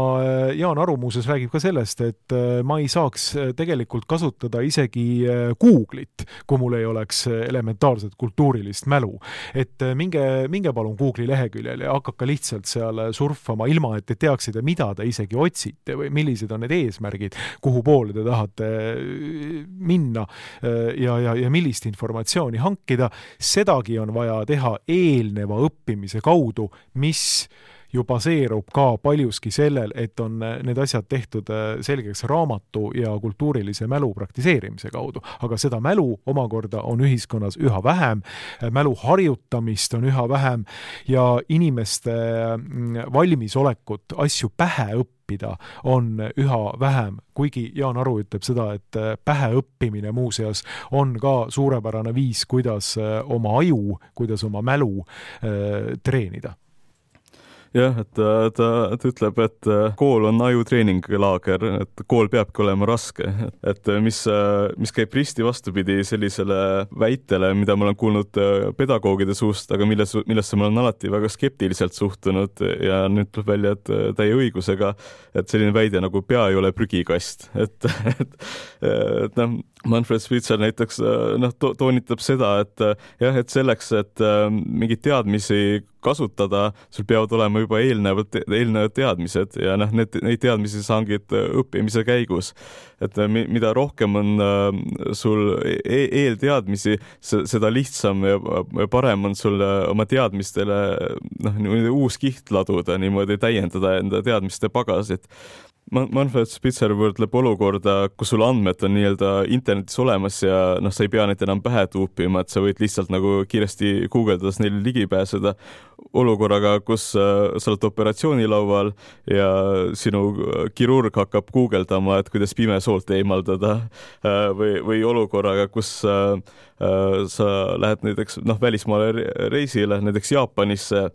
Speaker 2: Jaan Aru muuseas räägib ka sellest, et ma ei saaks tegelikult kasutada isegi Google'it, kui mul ei oleks elementaarset kultuurilist mälu. Et minge, minge palun Google'i leheküljel ja hakake lihtsalt seal surfama ilma, et te teaksite, mida te isegi otsite või millised on need eesmärgid, kuhu poole te tahate minna ja, ja, ja millist informatsiooni hankida. Sedagi on vaja teha eelneva õppimise kaudu, mis ju baseerub ka paljuski sellel, et on need asjad tehtud selgeks raamatu ja kultuurilise mälu praktiseerimise kaudu. Aga seda mälu omakorda on ühiskonnas üha vähem, mälu harjutamist on üha vähem ja inimeste valmisolekut asju pähe õppida on üha vähem, kuigi Jaan Aru ütleb seda, et pähe õppimine muuseas on ka suurepärane viis, kuidas oma aju, kuidas oma mälu äh, treenida.
Speaker 3: jah, et ta, ta, ta ütleb, et kool on ajutreeninglaager, et kool peabki olema raske, et mis, mis käib risti vastupidi sellisele väitele, mida ma olen kuulnud pedagoogide suust, aga milles, millesse ma olen alati väga skeptiliselt suhtunud ja nüüd tuleb välja, et täie õigusega, et selline väide nagu pea ei ole prügikast, et, et, et noh, Manfred Spitzer näiteks noh, to, toonitab seda, et jah, et selleks, et mingeid teadmisi kasutada, sul peavad olema juba eelnevad, eelnevad teadmised ja noh, need, neid teadmisi saangid õppimise käigus. Et mida rohkem on sul e eelteadmisi, seda lihtsam ja parem on sul oma teadmistele noh, uus kiht laduda, niimoodi täiendada enda teadmiste pagasit. Manfred Spitzer võrdleb olukorda, kus sul andmed on nii-öelda internetis olemas ja noh, sa ei pea neid enam pähe tuupima, et sa võid lihtsalt nagu kiiresti guugeldades neile ligi pääseda. Olukorraga, kus äh, sa oled operatsioonilaual ja sinu kirurg hakkab guugeldama, et kuidas pimesoolt eemaldada äh, või, või olukorraga, kus äh, äh, sa lähed näiteks noh, välismaale reisile, näiteks Jaapanisse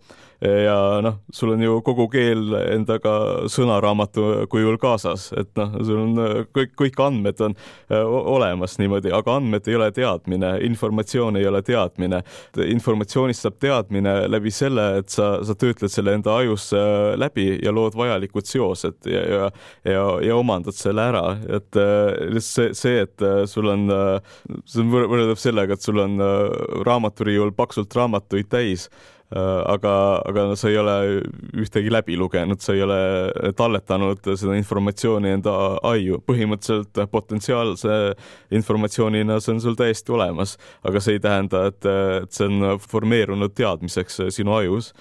Speaker 3: ja noh, sul on ju kogu keel endaga sõnaraamatu kujul kaasas, et noh, sul on kõik, kõik andmed on olemas niimoodi, aga andmed ei ole teadmine, informatsioon ei ole teadmine. Informatsioonist saab teadmine läbi selle, et sa, sa töötled selle enda ajus läbi ja lood vajalikud seosed ja, ja, ja, ja omandad selle ära. Et see, see, et sul on, see on võrreldab sellega, et sul on raamaturiiul paksult raamatuid täis, aga, aga sa ei ole ühtegi läbi lugenud, sa ei ole talletanud seda informatsiooni enda aju. Põhimõtteliselt potentsiaalse informatsioonina see on sul täiesti olemas, aga see ei tähenda, et, et see on formeerunud teadmiseks sinu ajus.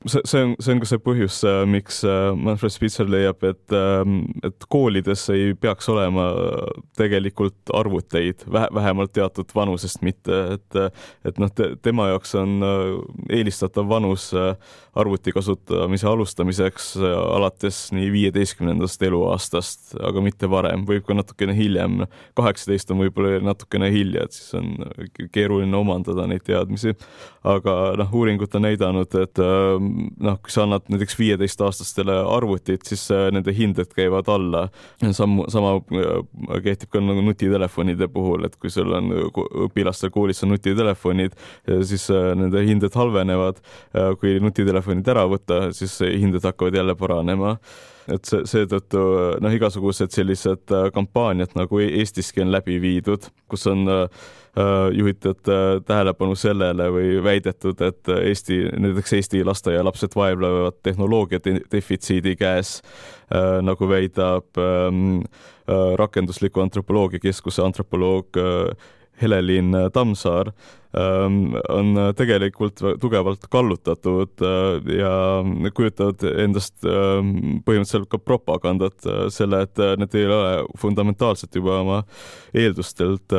Speaker 3: See, see, on, see on ka see põhjus, miks Manfred Spitzer leiab, et, et koolides ei peaks olema tegelikult arvuteid, vähemalt teatud vanusest mitte, et, et noh, te, tema jaoks on eelistatav vanus arvuti kasutamise alustamiseks alates nii viieteistkümnendast eluaastast, aga mitte varem, võib ka natukene hiljem. kaheksateist on võib-olla natukene hilja, et siis on keeruline omandada neid teadmisi, aga noh, uuringud on näidanud, et noh, kui sa annad näiteks viieteist-aastastele arvutit, siis nende hinded käivad alla. Sam, sama kehtib ka nagu nutitelefonide puhul, et kui sul on õpilastel koolis on nutitelefonid, siis nende hinded halvenevad. Kui nutitelefonid ära võtta, siis hinded hakkavad jälle paranema. Et see, seetõttu noh, igasugused sellised kampaaniad nagu Eestiski on läbi viidud, kus on juhitud tähelepanu sellele või väidetud, et Eesti, näiteks Eesti lasteaialapsed vaevlevad tehnoloogia defitsiidi käes, nagu väidab rakendusliku antropoloogia keskuse antropoloog Helelin Tammsaar, on tegelikult tugevalt kallutatud ja kujutavad endast põhimõtteliselt ka propagandat selle, et need ei ole fundamentaalselt juba oma eeldustelt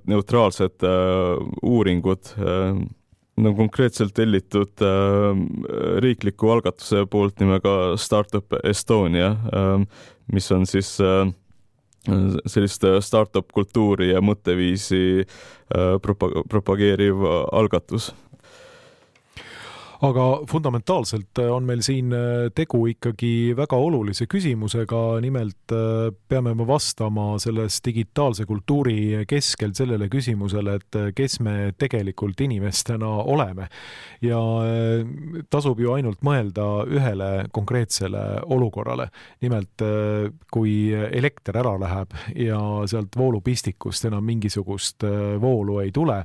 Speaker 3: neutraalsed uuringud, no konkreetselt tellitud riikliku algatuse poolt nimega Startup Estonia, mis on siis sellist startup kultuuri ja mõtteviisi propageeriv algatus.
Speaker 2: Aga fundamentaalselt on meil siin tegu ikkagi väga olulise küsimusega, nimelt peame me vastama selles digitaalse kultuuri keskel sellele küsimusele, et kes me tegelikult inimestena oleme. Ja tasub ju ainult mõelda ühele konkreetsele olukorrale. Nimelt, kui elekter ära läheb ja sealt voolupistikust enam mingisugust voolu ei tule,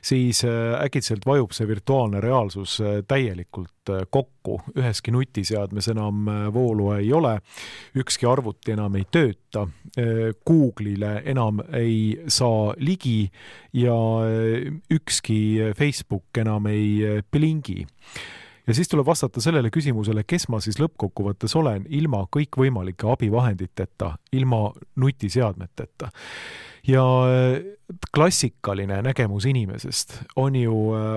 Speaker 2: siis äkitselt vajub see virtuaalne reaalsus täielikult kokku. Üheski nutiseadmes enam voolu ei ole, ükski arvuti enam ei tööta, Google'ile enam ei saa ligi ja ükski Facebook enam ei blingi. Ja siis tuleb vastata sellele küsimusele, kes ma siis lõppkokkuvõttes olen ilma kõikvõimalike abivahenditeta, ilma nutiseadmeteta. Ja klassikaline nägemus inimesest on ju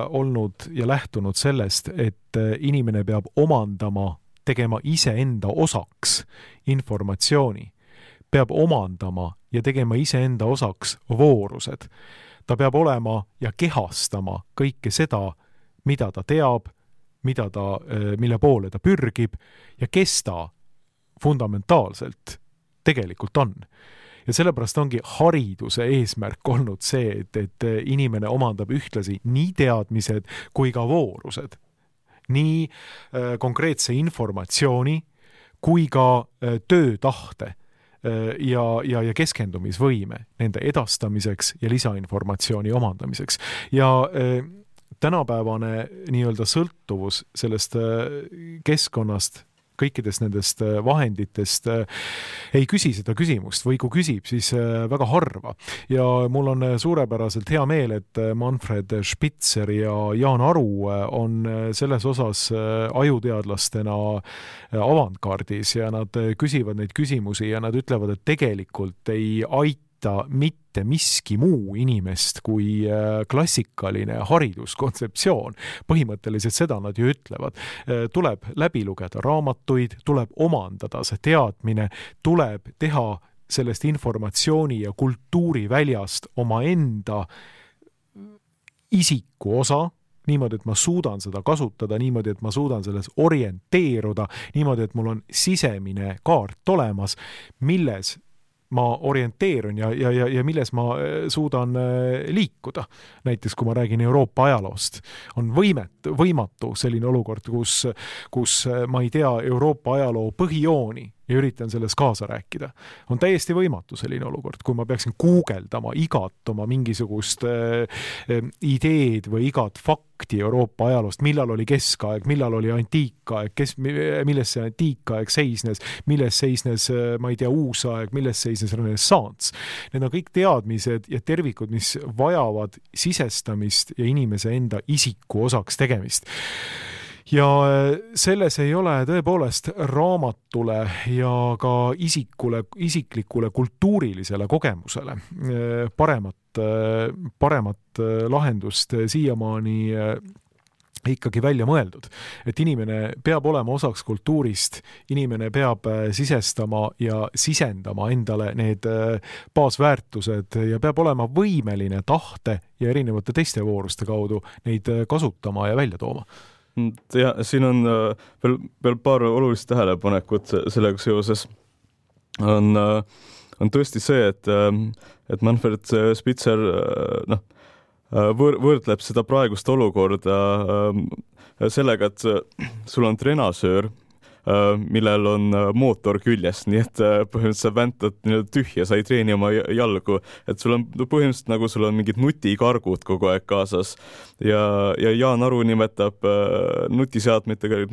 Speaker 2: olnud ja lähtunud sellest, et inimene peab omandama, tegema iseenda osaks informatsiooni, peab omandama ja tegema iseenda osaks voorused. Ta peab olema ja kehastama kõike seda, mida ta teab, mida ta, mille poole ta pürgib ja kes ta fundamentaalselt tegelikult on. Ja sellepärast ongi hariduse eesmärk olnud see, et, et inimene omandab ühtlasi nii teadmised kui ka voorused. Nii äh, konkreetse informatsiooni kui ka äh, töötahte äh, ja, ja, ja keskendumisvõime nende edastamiseks ja lisainformatsiooni omandamiseks. Ja äh, tänapäevane nii-öelda sõltuvus sellest äh, keskkonnast kõikidest nendest vahenditest ei küsi seda küsimust või kui küsib, siis väga harva. Ja mul on suurepäraselt hea meel, et Manfred Spitzer ja Jaan Aru on selles osas ajuteadlastena avantgardis ja nad küsivad neid küsimusi ja nad ütlevad, et tegelikult ei aita mitte miski muu inimest kui klassikaline hariduskontseptsioon. Põhimõtteliselt seda nad ju ütlevad. Tuleb läbi lugeda raamatuid, tuleb omandada see teadmine, tuleb teha sellest informatsiooni ja kultuuriväljast oma enda isiku osa, niimoodi, et ma suudan seda kasutada, niimoodi, et ma suudan selles orienteeruda, niimoodi, et mul on sisemine kaart olemas, milles ma orienteerun ja, ja, ja, ja milles ma suudan liikuda. Näiteks, kui ma räägin Euroopa ajaloost, on võimet, võimatu selline olukord, kus, kus ma ei tea Euroopa ajaloo põhijooni ja üritan selles kaasa rääkida. On täiesti võimatu selline olukord, kui ma peaksin guugeldama igat oma mingisugust äh, ideed või igat fakti Euroopa ajaloost, millal oli keskaeg, millal oli antiikaeg, kes, milles see antiikaeg seisnes, milles seisnes, ma ei tea, uusaeg, milles seisnes renessants. Need on kõik teadmised ja tervikud, mis vajavad sisestamist ja inimese enda isiku osaks tegemist. Ja selles ei ole tõepoolest raamatule ja ka isikule, isiklikule kultuurilisele kogemusele paremat, paremat lahendust siiamaani ikkagi välja mõeldud. Et inimene peab olema osaks kultuurist, inimene peab sisestama ja sisendama endale need baasväärtused ja peab olema võimeline tahte ja erinevate teiste vooruste kaudu neid kasutama ja välja tooma.
Speaker 3: Ja siin on veel, veel paar olulist tähelepanekut sellega seoses. On, on tõesti see, et, et Manfred Spitzer noh, võr, võrdleb seda praegust olukorda sellega, et sul on trenasöör, millel on mootor küljes, nii et põhimõtteliselt sa väntad tühja, sa ei treeni oma jalgu, et sul on põhimõtteliselt nagu sul on mingid nutikargud kogu aeg kaasas ja, ja Jaan Aru nimetab nutiseadmetega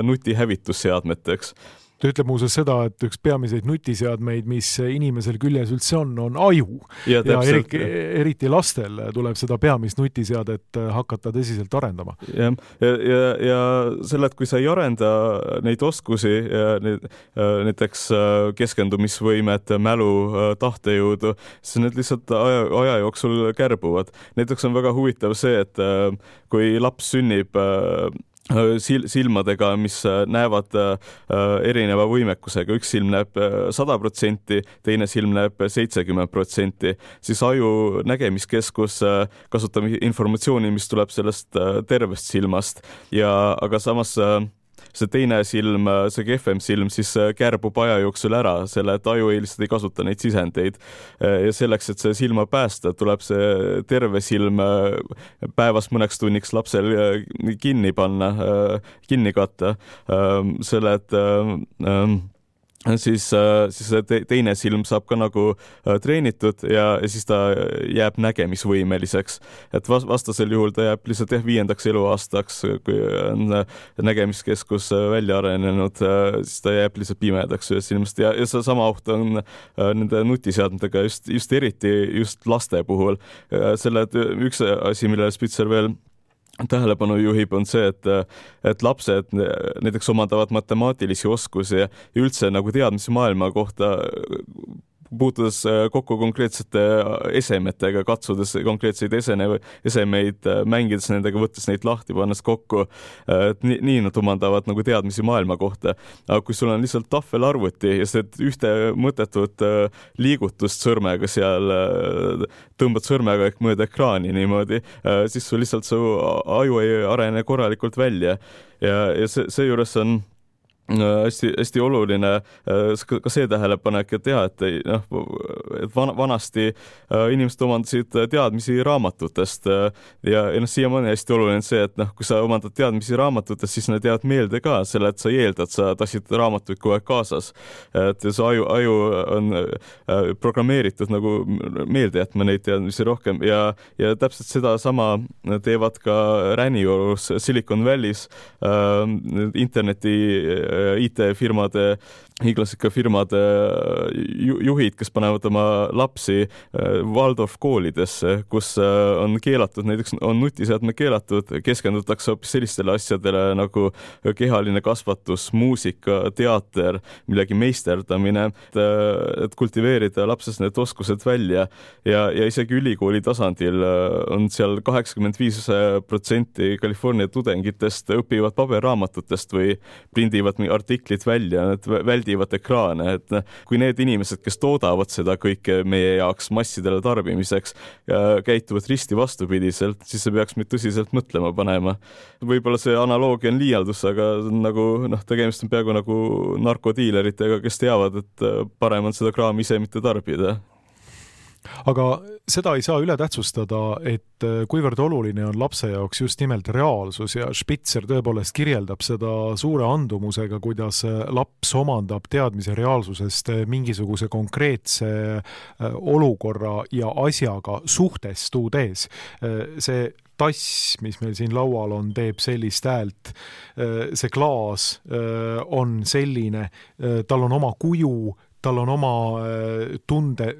Speaker 3: nutihävitusseadmeteks.
Speaker 2: Ta ütleb muuseas seda, et üks peamiseid nutiseadmeid, mis inimesel küljes üldse on, on aju. Ja, ja eriti, eriti lastel tuleb seda peamist nutiseadet hakata tõsiselt arendama.
Speaker 3: Ja, ja, ja, ja selle, et kui sa ei arenda neid oskusi, näiteks keskendumisvõimet, mälu, tahtejõudu, siis need lihtsalt aja, aja jooksul kärbuvad. Näiteks on väga huvitav see, et kui laps sünnib silmadega, mis näevad erineva võimekusega. Üks silm näeb sada protsenti, teine silm näeb seitsekümmend protsenti. Siis aju nägemiskeskus kasutab informatsiooni, mis tuleb sellest tervest silmast. Ja, aga samas see teine silm, see kehvem silm, siis kärbub aja jooksul ära, selle, et aju ei lihtsalt ei kasuta neid sisendeid. Ja selleks, et see silma päästa, tuleb see terve silm päevas mõneks tunniks lapsel kinni panna, kinni katta. Selle, et siis, siis teine silm saab ka nagu treenitud ja, ja siis ta jääb nägemisvõimeliseks. Et vastasel juhul ta jääb lihtsalt viiendaks eluaastaks, kui on nägemiskeskus välja arenenud, siis ta jääb lihtsalt pimedaks ühest silmast. Ja, ja see sama oht on nende nutiseadmetega just, just eriti just laste puhul. Selle, et üks asi, millele Spitzer veel tähelepanu juhib, on see, et, et lapsed näiteks omandavad matemaatilisi oskusi ja üldse nagu teadmisi maailma kohta puutudes kokku konkreetsete esemetega, katsudes konkreetseid esene, esemeid, mängides nendega, võttes neid lahti, pannes kokku, et nii, nii nad omandavad nagu teadmisi maailma kohta. Aga kui sul on lihtsalt tahvelarvuti ja see ühte mõttetut liigutust sõrmega seal, tõmbad sõrmega ehk mööda ekraani niimoodi, siis sul lihtsalt su aju ei arene korralikult välja ja, ja see, see juures on hästi, hästi oluline ka see tähelepanek, et jah, et, noh, et van, vanasti inimesed omandasid teadmisi raamatutest ja, ja noh, siiamaani hästi oluline see, et noh, kui sa omandad teadmisi raamatutest, siis need jäävad meelde ka, selle, et sa ei eelda, et sa tassid raamatuid kogu aeg kaasas. Et see aju, aju on programmeeritud nagu meelde jätma neid teadmisi rohkem ja, ja täpselt seda sama teevad ka Räniorus Silicon Valley's äh, interneti I T-firmade, hiiglasika firmade juhid, kes panevad oma lapsi Waldorf koolidesse, kus on keelatud, näiteks on nutiseadme keelatud, keskendutakse hoopis sellistele asjadele nagu kehaline kasvatus, muusika, teater, millegi meisterdamine, et, et kultiveerida lapses need oskused välja ja, ja isegi ülikooli tasandil on seal kaheksakümmend viis protsenti California tudengitest õpivad paberraamatutest või prindivad artiklid välja, need väldivad ekraane, et kui need inimesed, kes toodavad seda kõike meie jaoks massidele tarbimiseks, käituvad risti vastupidiselt, siis see peaks meid tõsiselt mõtlema panema. Võib-olla see analoogia on liialdus, aga nagu, noh, tegemist on peaaegu nagu narkodiileritega, kes teavad, et parem on seda kraami ise mitte tarbida.
Speaker 2: Aga seda ei saa üle tähtsustada, et kuivõrd oluline on lapse jaoks just nimelt reaalsus ja Spitzer tõepoolest kirjeldab seda suure andumusega, kuidas laps omandab teadmise reaalsusest mingisuguse konkreetse olukorra ja asjaga suhtestudes. See tass, mis meil siin laual on, teeb sellist häält, see klaas on selline, tal on oma kuju, tal on oma tunde,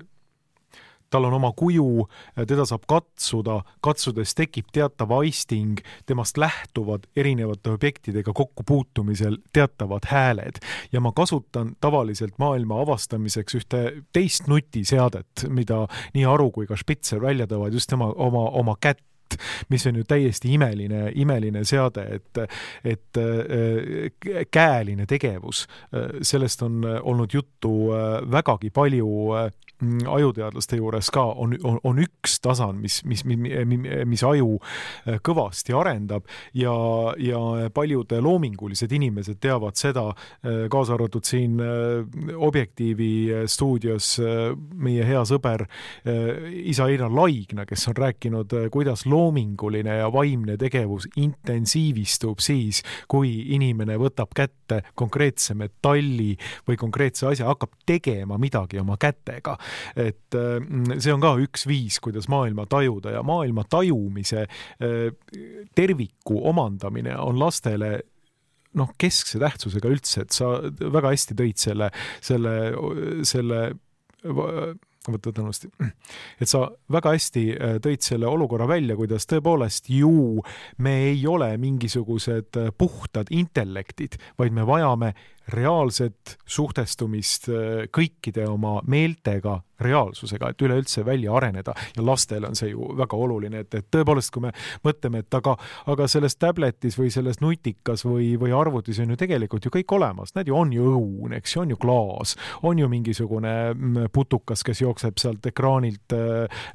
Speaker 2: tal on oma kuju, teda saab katsuda, katsudes tekib teatav aisting, temast lähtuvad erinevate objektidega kokkupuutumisel teatavad hääled. Ja ma kasutan tavaliselt maailma avastamiseks ühte teist nutiseadet, mida nii Aru kui ka Spitzer välja tõvad just tema oma, oma kätt, mis on ju täiesti imeline, imeline seade, et, et käeline tegevus. Sellest on olnud juttu vägagi palju ajuteadlaste juures ka, on, on, on üks tasan, mis, mis, mis aju kõvasti arendab ja, ja paljud loomingulised inimesed teavad seda, kaasa arvatud siin Objektiivi stuudios meie hea sõber isa Einar Laigna, kes on rääkinud, kuidas loominguline ja vaimne tegevus intensiivistub siis, kui inimene võtab kätte konkreetse metalli või konkreetse asja, hakkab tegema midagi oma kätega. Et see on ka üks viis, kuidas maailma tajuda ja maailma tajumise terviku omandamine on lastele noh, keskse tähtsusega üldse, et sa väga hästi tõid selle, selle, selle võtad nõusti, et sa väga hästi tõid selle olukorra välja, kuidas tõepoolest ju me ei ole mingisugused puhtad intellektid, vaid me vajame reaalset suhtestumist kõikide oma meeltega reaalsusega, et üleüldse välja areneda ja lastele on see ju väga oluline, et, et tõepoolest, kui me mõtleme, et aga, aga selles tabletis või selles nutikas või, või arvutis on ju tegelikult ju kõik olemas, need ju on ju õun, eks, on ju klaas, on ju mingisugune putukas, kes jookseb sealt ekraanilt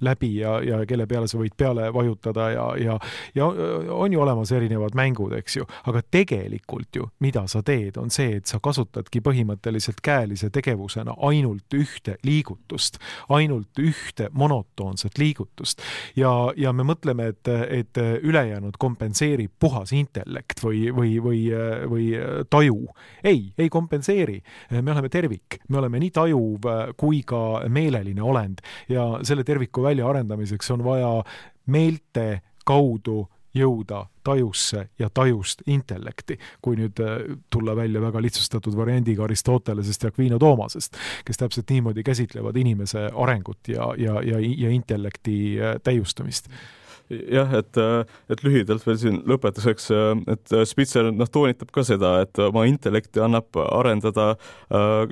Speaker 2: läbi ja, ja kelle peale sa võid peale vajutada ja, ja, ja on ju olemas erinevad mängud, eks ju, aga tegelikult ju, mida sa teed, on see, et sa kasutadki põhimõtteliselt käelise tegevusena ainult ühte liigutust, ainult ühte monotoonset liigutust ja, ja me mõtleme, et, et ülejäänud kompenseerib puhas intellekt või, või, või, või taju. Ei, ei kompenseeri. Me oleme tervik, me oleme nii tajuv kui ka meeleline olend ja selle terviku välja arendamiseks on vaja meelte kaudu jõuda tajusse ja tajust intellekti, kui nüüd tulla välja väga lihtsustatud variandiga Aristotelesest ja Aquino Toomasest, kes täpselt niimoodi käsitlevad inimese arengut ja, ja, ja, ja intellekti täiustamist.
Speaker 3: jah, et, et lühidalt veel siin lõpetuseks, et Spitzer noh, toonitab ka seda, et oma intellekti annab arendada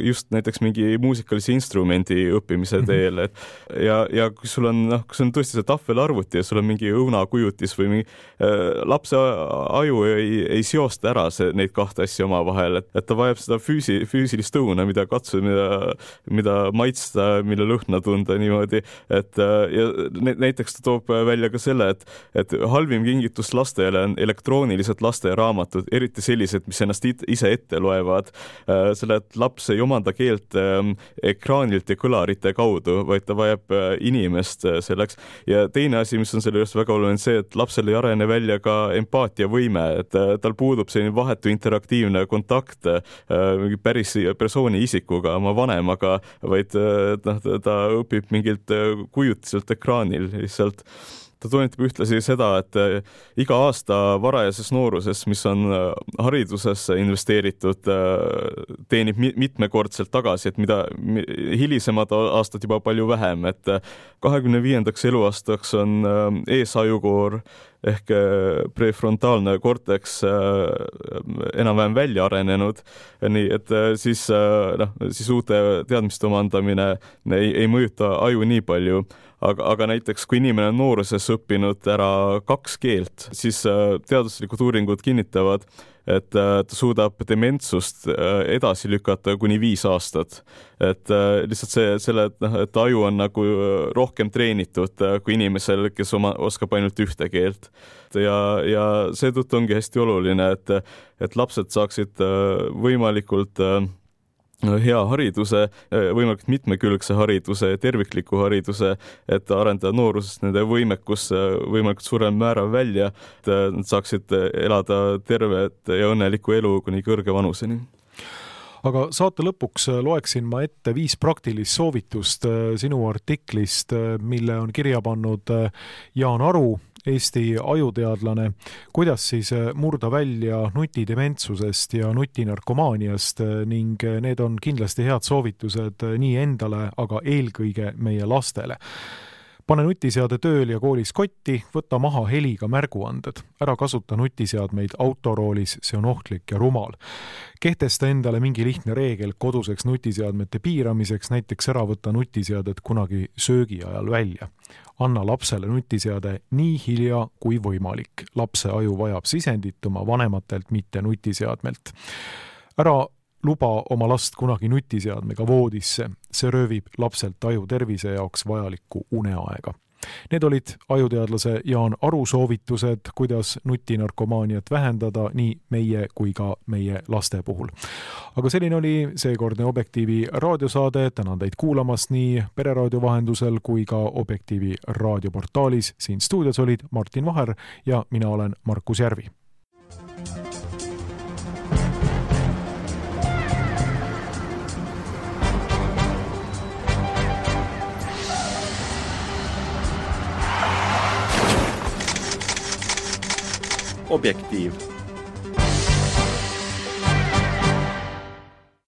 Speaker 3: just näiteks mingi muusikalise instrumendi õppimise teel, et ja, ja kui sul on, noh, kui sul on tõesti see tahvelarvuti ja sul on mingi õunakujutis või mingi lapse aju ei, ei seosta ära see, neid kahte asja omavahel, et, et ta vajab seda füüsi, füüsilist õuna, mida katsuda, mida, mida maitsta, mille lõhna tunda niimoodi, et ja näiteks ta toob välja ka selle, et, et halvim kingitus lastele on elektroonilised lasteraamatud, eriti sellised, mis ennast ise ette loevad. Selle, et laps ei omanda keelt ekraanilt ja kõlarite kaudu, vaid ta vajab inimest selleks. Ja teine asi, mis on selle just väga oluline, see, et lapsel ei arene välja ka empaatiavõime, et tal puudub selline vahetu interaktiivne kontakt mingi päris persooni isikuga, oma vanemaga, vaid noh, ta õpib mingilt kujutiselt ekraanil lihtsalt. Ta toonitab ühtlasi seda, et iga aasta varajases nooruses, mis on haridusesse investeeritud, teenib mitmekordselt tagasi, et mida hilisemad aastad juba palju vähem, et kahekümne viiendaks eluaastaks on eesajukoor ehk prefrontaalne korteks enam-vähem välja arenenud, nii et siis, noh, siis uute teadmiste omandamine ei, ei mõjuta aju nii palju. Aga, aga näiteks, kui inimene on nooruses õppinud ära kaks keelt, siis teaduslikud uuringud kinnitavad, et ta suudab dementsust edasi lükata kuni viis aastat. Et lihtsalt see, selle, et aju on nagu rohkem treenitud kui inimesel, kes oma, oskab ainult ühte keelt. Ja, ja seetõttu ongi hästi oluline, et, et lapsed saaksid võimalikult hea hariduse, võimalikult mitmekülgse hariduse, tervikliku hariduse, et arendada noorusest nende võimekus võimalikult suurem määrav välja, et nad saaksid elada tervet ja õnnelikku elu kuni kõrge vanuseni.
Speaker 2: Aga saate lõpuks loeksin ma ette viis praktilist soovitust sinu artiklist, mille on kirja pannud Jaan Aru, Eesti ajuteadlane, kuidas siis murda välja nutidementsusest ja nutinarkomaaniast ning need on kindlasti head soovitused nii endale, aga eelkõige meie lastele. Pane nutiseade tööl ja koolis kotti, võta maha heliga märguanded. Ära kasuta nutiseadmeid autoroolis, see on ohtlik ja rumal. Kehtesta endale mingi lihtne reegel koduseks nutiseadmete piiramiseks, näiteks ära võtta nutiseadet kunagi söögi ajal välja. Anna lapsele nutiseade nii hilja kui võimalik. Lapse aju vajab sisendit oma vanematelt, mitte nutiseadmelt. Ära luba oma last kunagi nutiseadmega voodisse, see röövib lapselt aju tervise jaoks vajalikku uneaega. Need olid ajuteadlase Jaan Aru soovitused, kuidas nutinarkomaaniat vähendada nii meie kui ka meie laste puhul. Aga selline oli seekordne Objektiivi raadiosaade, tänan teid kuulamast nii Pereraadio vahendusel kui ka Objektiivi raadioportaalis. Siin stuudios olid Martin Vaher ja mina olen Markus Järvi.
Speaker 1: Objektiiv.